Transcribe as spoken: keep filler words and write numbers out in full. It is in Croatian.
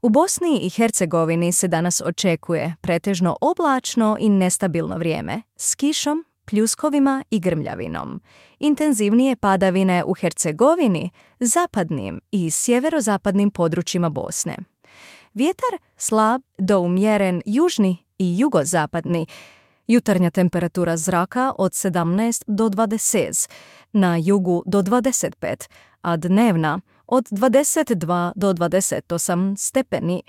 U Bosni i Hercegovini se danas očekuje pretežno oblačno i nestabilno vrijeme, s kišom, pljuskovima i grmljavinom. Intenzivnije padavine u Hercegovini, zapadnim i sjeverozapadnim područjima Bosne. Vjetar slab do umjeren južni i jugozapadni. Jutarnja temperatura zraka od sedamnaest do dvadeset, na jugu do dvadeset pet, a dnevna od dvadeset dva do dvadeset osam stepeni.